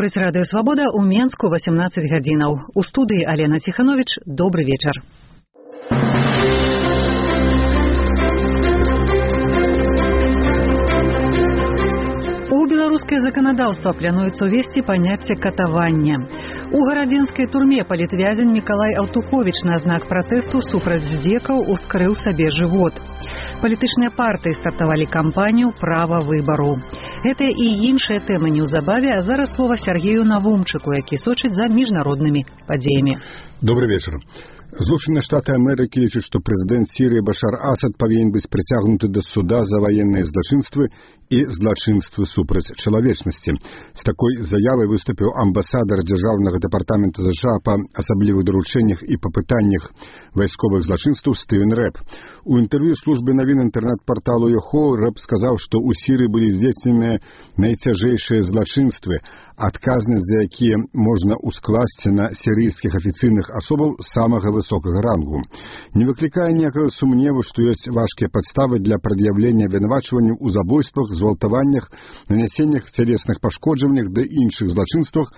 Гаворыць Радыё Свабода ў Менску 18 гадзінаў. У студыі Алена Ціхановіч. Добры вечар. У беларускае заканадаўства плануецца ўвесці паняцце катавання. У гарадзенскай турме палітвязень Мікалай Аўтуховіч на знак пратэсту супраць здзекаў ускрыў сабе жывот. Палітычныя партыі стартавалі кампанію «Права выбару». Гэтыя і іншыя тэмы неўзабаве, а зараз слова Сергею Навумчыку, які сочыць за міжнароднымі падзеямі. Добрый вечер. Злучаныя Штаты Амерыкі лічаць, што прэзідэнт Сірыі Башар Асад павінен быць прыцягнуты да суда за ваенныя злачынствы і злачынствы супраць чалавечнасці. З такой заявай выступіў амбасадар дзяржаўнага дэпартамента США па асаблівых даручэннях і па пытаннях вайсковых злачынстваў Стывен Рэп. У інтэрв'ю службе навін інтэрнэт-парталу Йохо Рэп сказаў, што ў Сірыі былі здзейсненыя найцяжэйшыя злачынствы, адказнасць за якія можна ускласці на сірыйскіх афіцыйных асобаў самага высокага рангу. Не выклікае ніякага сумневу, што ёсць важкія падставы для прад'яўлення абвінавачванняў у забойствах, згвалтаваннях, нанясеннях цялесных пашкоджаннях ды іншых злачынствах.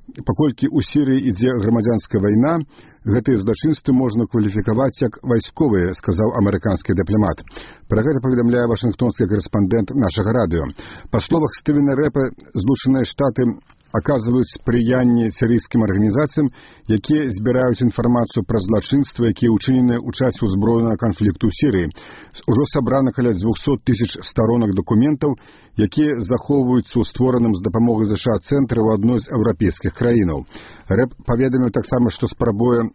Паколькі ў Сірыі ідзе грамадзянская вайна, гэтыя злачынствы можна кваліфікаваць як вайсковыя, сказаў амерыканскі дыпламат. Пра гэта паведамляе вашынгтонскі карэспандэнт нашага радыё. Па словах Стывена Рэпа, Злучаныя Штаты аказваюць спрыянне сірыйскім арганізацыям, якія збіраюць інфармацыю пра злачынствы, якія ўчыненыя ў часе ўзброенага канфлікту ў Сірыі. Ужо сабрана каля 200 000 старонак дакументаў, якія захоўваюцца ў створаным з дапамогай США цэнтры ў адной з еўрапейскіх краінаў. Рэп паведаміў таксама, што спрабуе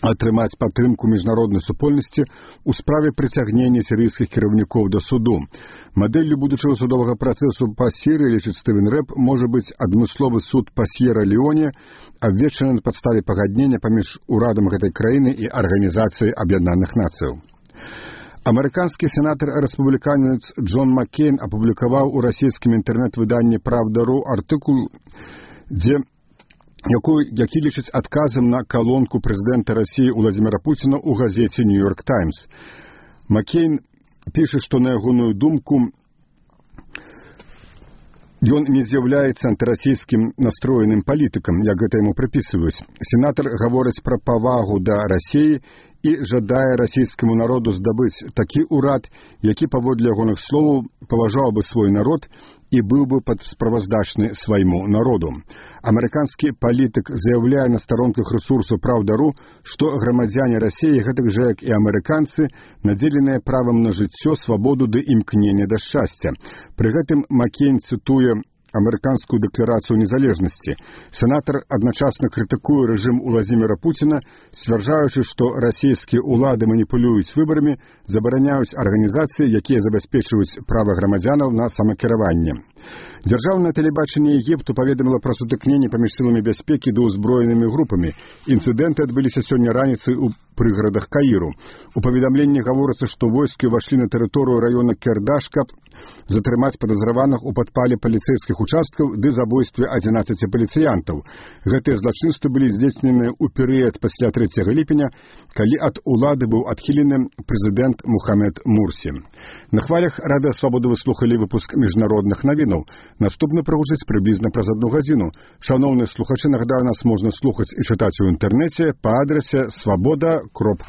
атрымаць падтрымку міжнароднай супольнасці ў справе прыцягнення сірыйскіх кіраўнікоў да суду. Мадэллю будучага судовага працэсу па Сірыі, лічыць Стывен Рэп, можа быць адмысловы суд па С'ера-Леоне, абвешчаны на падставе пагаднення паміж урадам гэтай краіны і Арганізацыяй Аб'яднаных Нацыяў. Амерыканскі сенатар-рэспубліканец Джон Маккейн апублікаваў у расійскім інтэрнэт-выданні «Правда.ру» артыкул, які лічыць адказам на калонку прэзідэнта Расіі Уладзіміра Пуціна ў газеце «Нью-Йорк Таймс». Маккейн піша, што на ягоную думку ён не з'яўляецца антырасійскім настроеным палітыкам, як гэта яму прыпісваюць. Сенатар гаворыць пра павагу да Расіі і жадае расійскаму народу здабыць такі ўрад, які, паводле ягоных словаў, паважаў бы свой народ і быў бы справаздачны свайму народу. Амерыканскі палітык заяўляе на старонках рэсурсу «Правда.ру», што грамадзяне Расіі, гэтак жа як і амерыканцы, надзеленыя правам на жыццё, свабоду ды імкнення да шчасця. Пры гэтым Маккейн цытуе амерыканскую дэкларацыю незалежнасці. Сенатар адначасна крытыкуе рэжым Уладзіміра Пуціна, сцвярджаючы, што расійскія ўлады маніпулююць выбарамі, забараняюць арганізацыі, якія забяспечваюць права грамадзянаў на самакіраванне. Дзяржаўнае тэлебачанне Егіпту паведаміла пра сутыкненне паміж сіламі бяспекі ды ўзброенымі групамі. Інцыдэнты адбыліся сёння раніцай у прыгарадах Каіру. У паведамленні гаворыцца, што войскі ўвайшлі на тэрыторыю раёна Кердаш, каб затрымаць падазраваных у падпале паліцэйскіх участкаў ды забойстве 11 паліцыянтаў. Гэтыя злачынствы былі здзейсненыя ў перыяд пасля 3 ліпеня, калі ад улады быў адхілены прэзідэнт Мухаммед Мурсі. На хвалях Радыё Свабода вы слухалі выпуск міжнародных навінаў. Наступны прагучыць прыблізна праз 1 гадзіну. Шаноўныя слухачы, нагадаю, нас можна слухаць і чытаць у інтэрнэце па адрасе swaboda.org.